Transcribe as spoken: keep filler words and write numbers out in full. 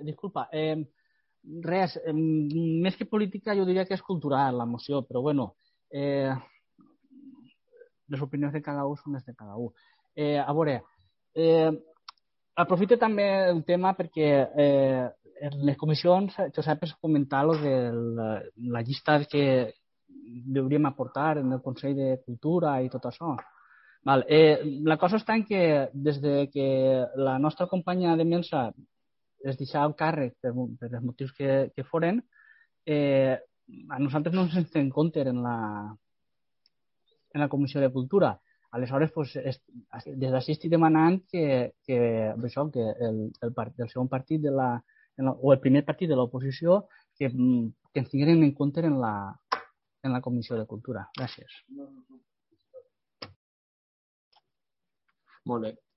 Disculpa, eh, res, eh, més que política jo diria que és cultural la moció, però bueno, eh, les opinions de cada un són les de cada un. Eh, a veure, eh, aprofito també el tema perquè eh, en les comissions, Josep, es comentar lo de la, la llista que hauríem aportar en el Consell de Cultura i tot això. Val. Eh, la cosa està en que des de que la nostra companya de Mensa es deixava el càrrec per, per els motius que, que foren, eh, a nosaltres no ens en compte en la, en la Comissió de Cultura. Aleshores, pues, es, des d'ací estic demanant que, que, això, que el, el, part, el segon partit de la, la, o el primer partit de l'oposició que, que ens tinguin en compte en la, en la Comissió de Cultura. Gràcies. Molt bé.